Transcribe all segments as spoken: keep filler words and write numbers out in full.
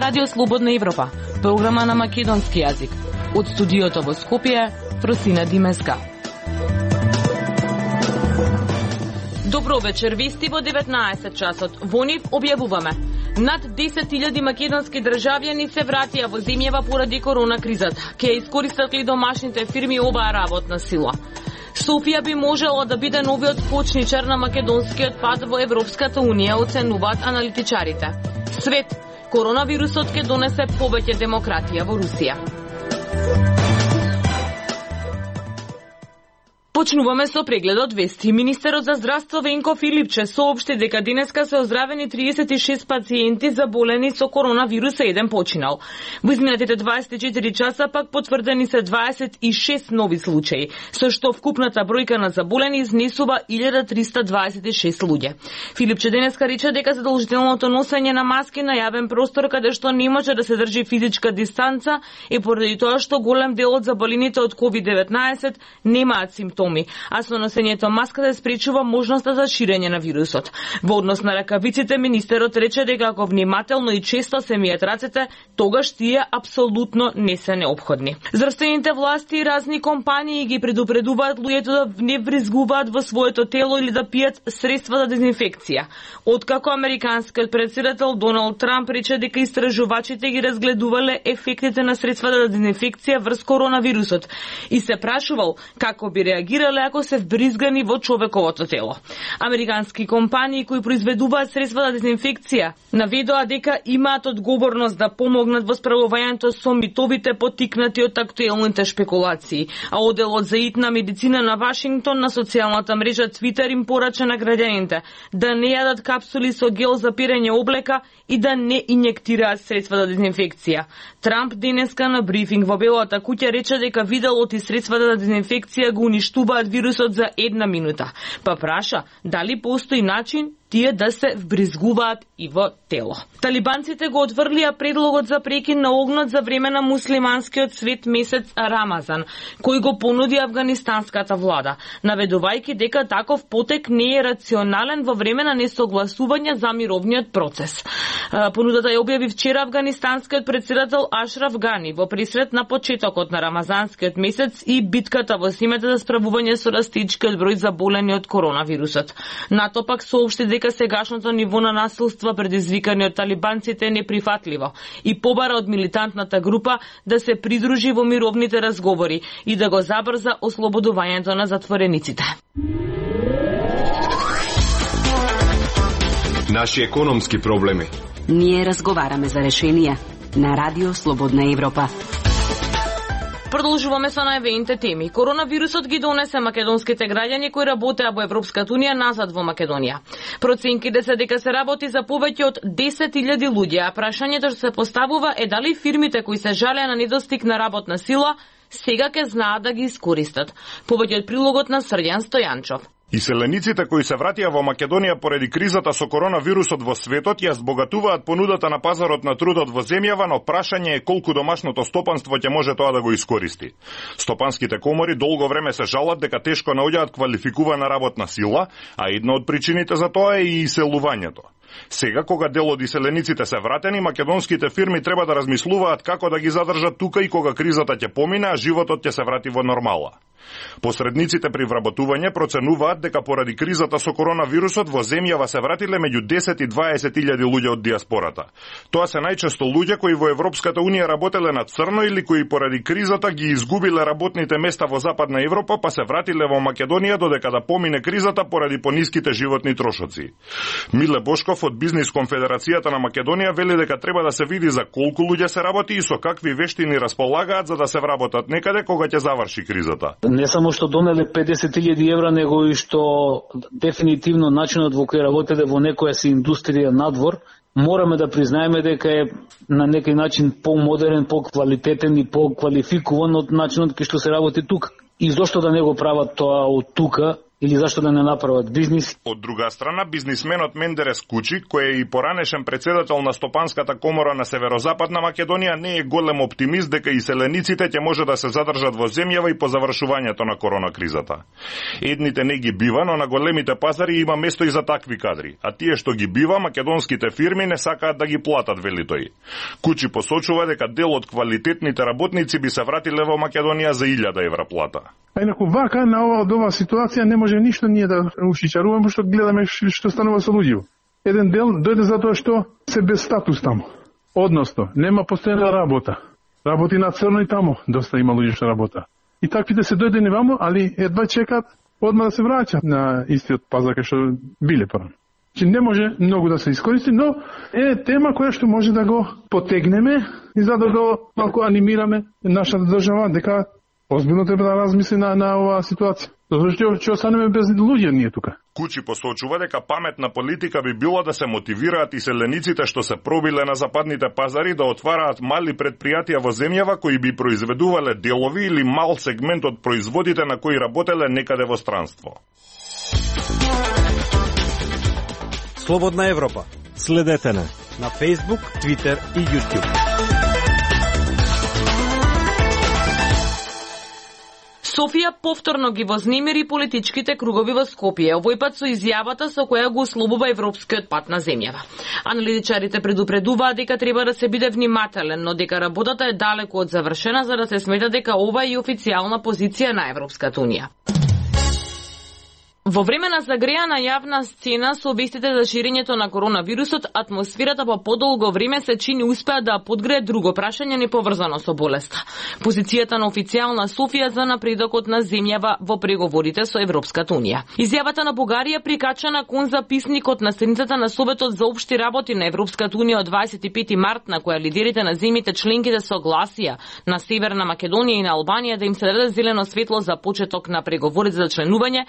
Радио Слободна Европа, програма на македонски јазик. Од студиото во Скопје, Фросина Димеска. Добро вечер, вести во деветнаесет часот. Во нив објавуваме. Над десет илјади македонски државјани се вратија во земјава поради корона кризата. Ке искористат ли домашните фирми оваа работна сила? Софија би можела да биде новиот почничар на македонскиот пат во Европската Унија, оценуваат аналитичарите. Свет, коронавирусот ќе донесе повеќе демократија во Русија. Почнуваме со прегледот вести. Министерот за здравство Венко Филипче соопшти дека денеска се оздравени триесет и шест пациенти заболени со коронавирус, еден починал. Во изминатите дваесет и четири часа пак потврдени се дваесет и шест нови случаи, со што вкупната бројка на заболени изнесува илјада триста дваесет и шест луѓе. Филипче денеска рече дека задолжителното носење на маски на јавен простор каде што не може да се држи физичка дистанца е поради тоа што голем дел од заболените од ковид деветнаесет немаат симптоми, а со носењето маска се спречува можноста за ширење на вирусот. Во однос на ракавиците, министерот рече дека ако внимателно и често се мијат рацете, тогаш тие апсолутно не се неопходни. Здравствените власти и разни компании ги предупредуваат луѓето да не вризгуваат во своето тело или да пијат средства за дезинфекција. Откако американскиот претседател Доналд Трамп рече дека истражувачите ги разгледувале ефектите на средства за дезинфекција врз коронавирусот и се прашувал како би реагирале ако се вбризгани во човековото тело. Американски компании кои произведуваат средства за дезинфекција наведоа дека имаат одговорност да помогнат во справувањето со митовите поттикнати од актуелните шпекулации, а оделот за итна медицина на Вашингтон на социјалната мрежа Твитер им порача на граѓаните да не јадат капсули со гел за пирење облека и да не инјектираат средства за дезинфекција. Трамп денеска на брифинг во Белата куќа рече дека виделот и средствата за дезинфекција го уништуваат вирусот за една минута. Па праша дали постои начин тие да се вбризгуваат и во тело. Талибанците го отврлија предлогот за прекин на огнот за време на муслиманскиот свет месец Рамазан, кој го понуди афганистанската влада, наведувајќи дека таков потек не е рационален во време на несогласување за мировниот процес. Понудата ја објави вчера афганистанскиот претседател Ашраф Гани во присрет на почетокот на рамазанскиот месец и битката во зимата за справување со растичкиот број заболени од коронавирусот. НАТО пак соопшти дека сегашното ниво на насилство предизвикани од талибанците е неприфатливо и побара од милитантната група да се придружи во мировните разговори и да го забрза ослободувањето на затворениците. Наши економски проблеми. Ние разговараме за решенија на Радио Слободна Европа. Продолжуваме со најавените теми. Коронавирусот ги донесе македонските граѓани кои работеа во Европската Унија назад во Македонија. Проценките се дека се работи за повеќе од десет илјади луѓе, а прашањето што се поставува е дали фирмите кои се жалеа на недостиг на работна сила сега ќе знаат да ги искористат. Повеќе од прилогот на Срđan Стојанчов. Иселениците кои се вратија во Македонија поради кризата со коронавирусот во светот ја збогатуваат понудата на пазарот на трудот во земјава, но прашање е колку домашното стопанство ќе може тоа да го искористи. Стопанските комори долго време се жалат дека тешко наоѓаат квалификувана работна сила, а една од причините за тоа е и иселувањето. Сега, кога дел од иселениците се вратени, македонските фирми треба да размислуваат како да ги задржат тука и кога кризата ќе помине, а животот ќе се врати во нормала. Посредниците при вработување проценуваат дека поради кризата со коронавирусот во земјава се вратиле меѓу десет и дваесет илјади луѓе од диаспората. Тоа се најчесто луѓе кои во Европската Унија работеле на црно или кои поради кризата ги изгубиле работните места во Западна Европа, па се вратиле во Македонија додека да помине кризата поради пониските животни трошоци. Миле Бошков од Бизнис конфедерацијата на Македонија вели дека треба да се види за колку луѓе се работи и со какви вештини располагаат за да се вработат некаде кога ќе заврши кризата. Не само што донеле педесет илјади евра, него и што дефинитивно начинот во кој работеле во некоја си индустрија надвор, мораме да признаеме дека е на некој начин помодерен, поквалитетен и поквалификуван од начинот кој што се работи тука. И зошто да не го прават тоа од тука, или зашто да не направат бизнис. Од друга страна, бизнисменот Мендерес Кучи, кој е и поранешен председател на Стопанската комора на Северозападна Македонија, не е голем оптимист дека иселениците ќе може да се задржат во земјава и по завршувањето на коронакризата. Едните не ги бива, но на големите пазари има место и за такви кадри, а тие што ги бива, македонските фирми не сакаат да ги платат, вели тој. Кучи посочува дека дел од квалитетните работници би се вратиле во Македонија за илјада евра плата. А инаку вака на ова од ова ситуација не може ништо ние да ушичаруваме, што гледаме што станува со луѓето. Еден дел дојде затоа што се без статус таму. Односно, нема постојана работа. Работи на црно и таму, доста има луѓе што работа. И таквите се дојдени ваму, али едва чекат одма да се враќат на истиот пазар кај што биле порано. Че не може многу да се искористи, но е тема која што може да го потегнеме и за да го малку анимираме нашата држава дека озбилно треба да размисли на, на оваа ситуација. Зашто ќе останеме без луѓе ние тука. Кучи посочува дека паметна политика би било да се мотивираат иселениците што се пробиле на западните пазари да отвараат мали предпријатија во земјава кои би произведувале делови или мал сегмент од производите на кои работеле некаде во странство. Слободна Европа. Следете на на Facebook, Twitter и YouTube. Софија повторно ги вознемири политичките кругови во Скопје, овој пат со изјавата со која го условува европскиот пат на земјава. Аналитичарите предупредуваат дека треба да се биде внимателен, но дека работата е далеку од завршена за да се смета дека ова е и официјална позиција на Европската унија. Во време на загреана јавна сцена со вестите за ширењето на коронавирусот, атмосферата по подолго време се чини успеа да подгрее друго прашање неповрзано со болеста. Позицијата на официјална Софија за напредокот на земјава во преговорите со Европската унија. Изјавата на Бугарија прикачана кон записникот на страницата на Советот за општи работи на Европската унија од дваесет и пети март, на која лидерите на земјите членки да согласија на Северна Македонија и на Албанија да им се даде зелено светло за почеток на преговорите за членување,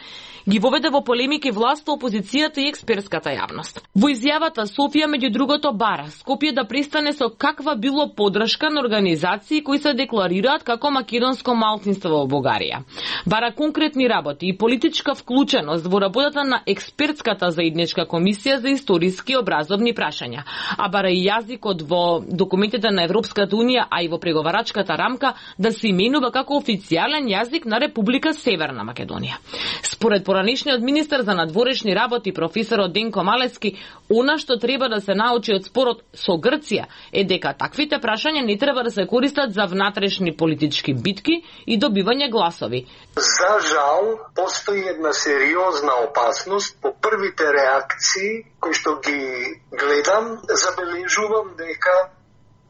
ги воведе во полемики власта, опозицијата и експертската јавност. Во изјавата Софија меѓу другото бара Скопје да престане со каква било поддршка на организации кои се декларираат како македонско малцинство во Бугарија. Бара конкретни работи и политичка вклученост во работата на експертската заедничка комисија за историски образовни прашања, а бара и јазикот во документите на Европската унија, а и во преговарачката рамка да се именува како официјален јазик на Република Северна Македонија. Според поранешниот министер за надворешни работи професорот Денко Малески, она што треба да се научи од спорот со Грција е дека таквите прашања не треба да се користат за внатрешни политички битки и добивање гласови. За жал, постои една сериозна опасност по првите реакции кои што ги гледам, забележувам дека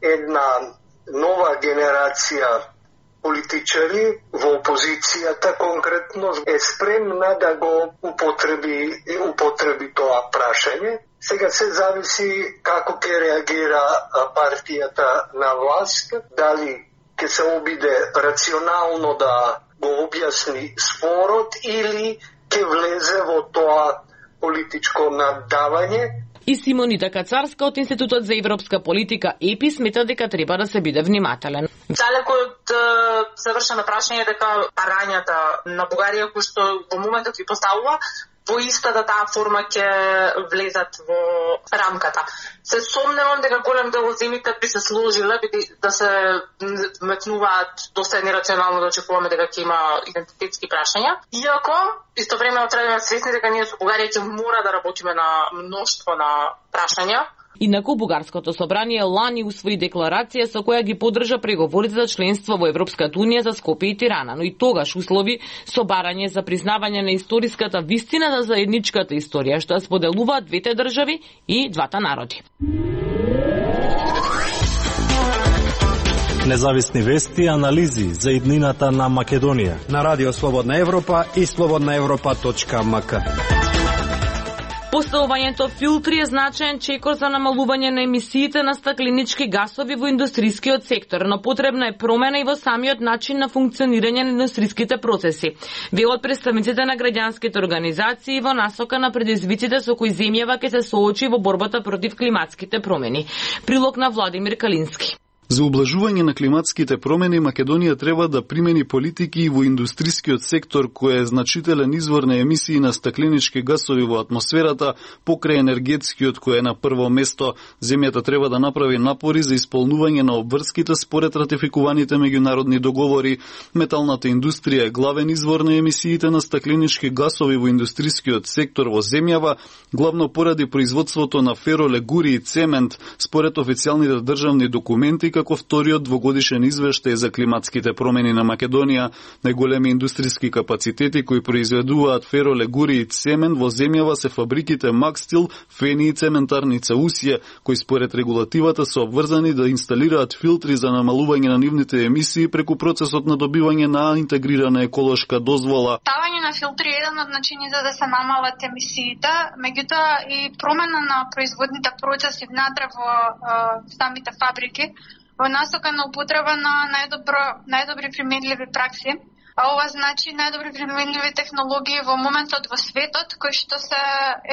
една нова генерација политичари во опозицијата конкретно е спремна да го употреби употреби тоа прашање. Сега се зависи како ќе реагира партијата на власт, дали ќе се обиде рационално да го објасни спорот или ќе влезе во тоа политичко наддавање. И Симонита Кацарска од Институтот за европска политика ЕПИ смета дека треба да се биде внимателен. Далеко од завршено прашање дека парањата на Бугарија кои што во моментот ги поставува во истата таа форма ќе влезат во рамката. Се сомневам дека голем дел од земјите би се сложиле да се метнуваат доста нерационално да очекуваме дека ќе има идентитетски прашања. Иако истовремено треба да сме свесни дека ние со Бугарија ќе мора да работиме на мноштво на прашања. Инаку Бугарското собрание лани усвои декларација со која ги поддржа преговорите за членство во Европската унија за Скопје и Тирана, но и тогаш услови со барање за признавање на историската вистина за заедничката историја што споделуваат двете држави и двата народи. Независни вести и анализи за иднината на Македонија на Радио Слободна Европа и слободна европа точка ем ка. Поставувањето филтри е значаен чекор за намалување на емисиите на стакленички гасови во индустрискиот сектор, но потребна е промена и во самиот начин на функционирање на индустриските процеси. Велат представниците на граѓанските организации во насока на предизвиците со кои земјава ќе се соочи во борбата против климатските промени. Прилог на Владимир Калински. За ублажување на климатските промени, Македонија треба да примени политики и во индустрискиот сектор кој е значителен извор на емисии на стакленички гасови во атмосферата, покрај енергетскиот кој е на прво место. Земјата треба да направи напори за исполнување на обврските според ратификуваните меѓународни договори. Металната индустрија е главен извор на емисиите на стакленички гасови во индустрискиот сектор во земјава, главно поради производството на феролегури и цемент, според официјалните државни документи, како вториот двогодишен извештај за климатските промени на Македонија. Најголеми индустријски капацитети кои произведуваат феролегури и цемент во земјава се фабриките Макстил, Фени и цементарница Усија, кои според регулативата се обврзани да инсталираат филтри за намалување на нивните емисии преку процесот на добивање на интегрирана еколошка дозвола. Ставање на филтри е еден од начините да се намалат емисиите, меѓутоа и промена на производните процеси внатре во е, самите фабрики во насока на употреба на најдобро, најдобри применливи пракси. А ова значи најдобри применливи технологии во моментот во светот, кои што се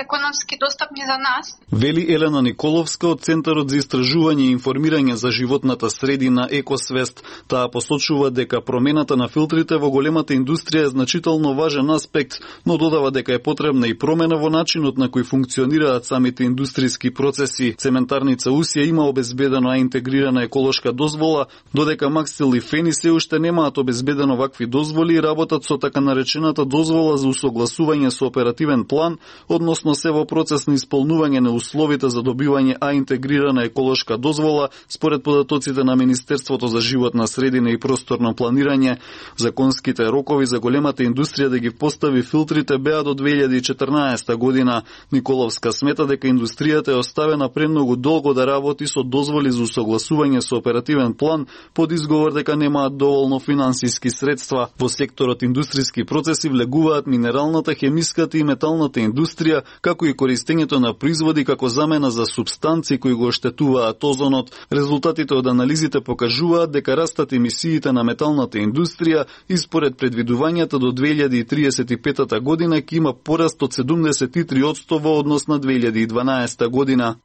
економски достапни за нас. Вели Елена Николовска од Центарот за истражување и информирање за животната средина Екосвест. Таа посочува дека промената на филтрите во големата индустрија е значително важен аспект, но додава дека е потребна и промена во начинот на кој функционираат самите индустријски процеси. Цементарница Усија има обезбедено а интегрирана еколошка дозвола, додека Макстил и Фени се уште немаат обезбедено вакви дозволи и работат со така наречената дозвола за усогласување со оперативен план, односно се во процес на исполнување на условите за добивање а интегрирана еколошка дозвола според податоците на Министерството за животна средина и просторно планирање. Законските рокови за големата индустрија да ги постави филтрите беа до две илјади и четрнаесета година. Николовска смета дека индустријата е оставена премногу долго да работи со дозволи за усогласување со оперативен план под изговор дека немаат доволно финансиски средства. Во секторот индустријски процеси влегуваат минералната, хемиската и металната индустрија, како и користењето на производи како замена за супстанции кои го оштетуваат озонот. Резултатите од анализите покажуваат дека растат емисиите на металната индустрија и според предвидувањата до две илјади и триесет и пета година ќе има пораст од седумдесет и три одсто во однос на две илјади и дванаесета година.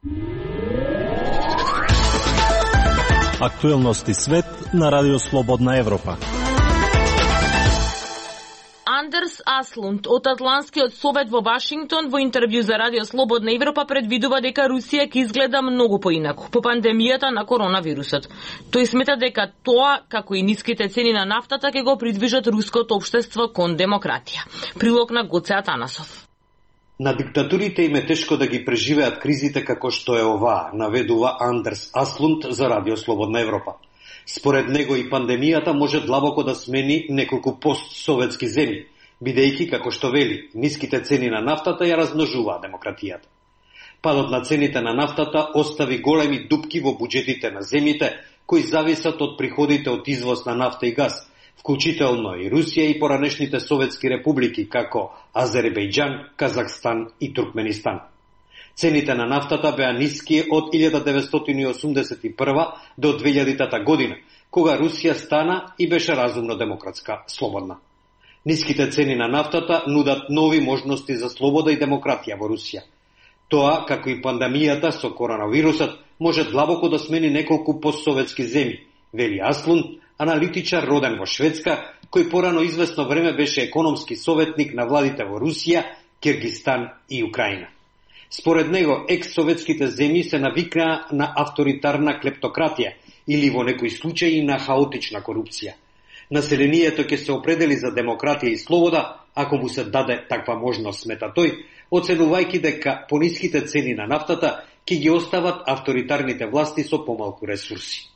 Актуелности свет на Радио Слободна Европа. Андерс Аслунд од Атлантскиот совет во Вашингтон во интервју за Радио Слободна Европа предвидува дека Русија ќе изгледа многу поинаку по пандемијата на коронавирусот. Тој смета дека тоа, како и ниските цени на нафтата, ќе го придвижат руското општество кон демократија. Прилог на Гоце Атанасов. На диктатурите им е тешко да ги преживеат кризите како што е оваа, наведува Андерс Аслунд за Радио Слободна Европа. Според него и пандемијата може длабоко да смени неколку постсоветски земји, бидејќи, како што вели, ниските цени на нафтата ја размножуваа демократијата. Падот на цените на нафтата остави големи дупки во буџетите на земјите, кои зависат од приходите од извоз на нафта и газ, вклучително и Русија и поранешните советски републики, како Азербејџан, Казахстан и Туркменистан. Цените на нафтата беа ниски од илјада деветстотини и осумдесет и прва до две илјадитата година, кога Русија стана и беше разумно демократска, слободна. Ниските цени на нафтата нудат нови можности за слобода и демократија во Русија. Тоа, како и пандемијата со коронавирусот, може длабоко да смени неколку постсоветски земји, вели Аслунд, аналитичар роден во Шведска, кој порано известно време беше економски советник на владите во Русија, Киргистан и Украина. Според него, екс-советските земји се навикнаа на авторитарна клептократија или во некои случаи на хаотична корупција. Населението ќе се определи за демократија и слобода ако му се даде таква можност, смета тој, оценувајќи дека пониските цени на нафтата ќе ги остават авторитарните власти со помалку ресурси.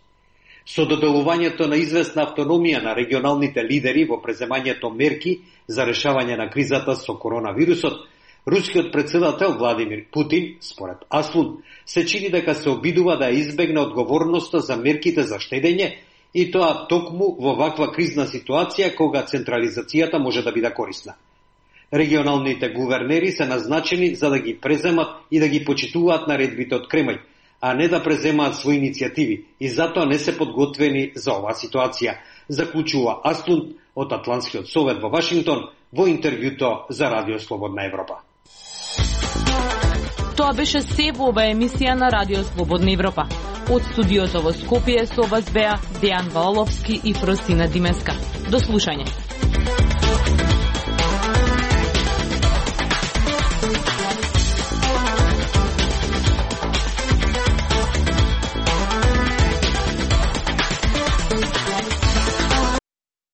Со доделувањето на известна автономија на регионалните лидери во преземањето мерки за решавање на кризата со коронавирусот, рускиот председател Владимир Путин, според Аслунд, се чини дека се обидува да избегне одговорноста за мерките за штедење и тоа токму во ваква кризна ситуација кога централизацијата може да биде корисна. Регионалните гувернери се назначени за да ги преземат и да ги почитуваат наредбите од Кремљ, а не да преземаат своји иницијативи и затоа не се подготвени за оваа ситуација, заклучува Аслунд од Атлантскиот совет во Вашингтон во интервјуто за Радио Слободна Европа. Тоа беше се во оваа емисија на Радио Слободна Европа. Од студиото во Скопје со вас беа Дејан Ваоловски и Фросина Димеска. До слушање.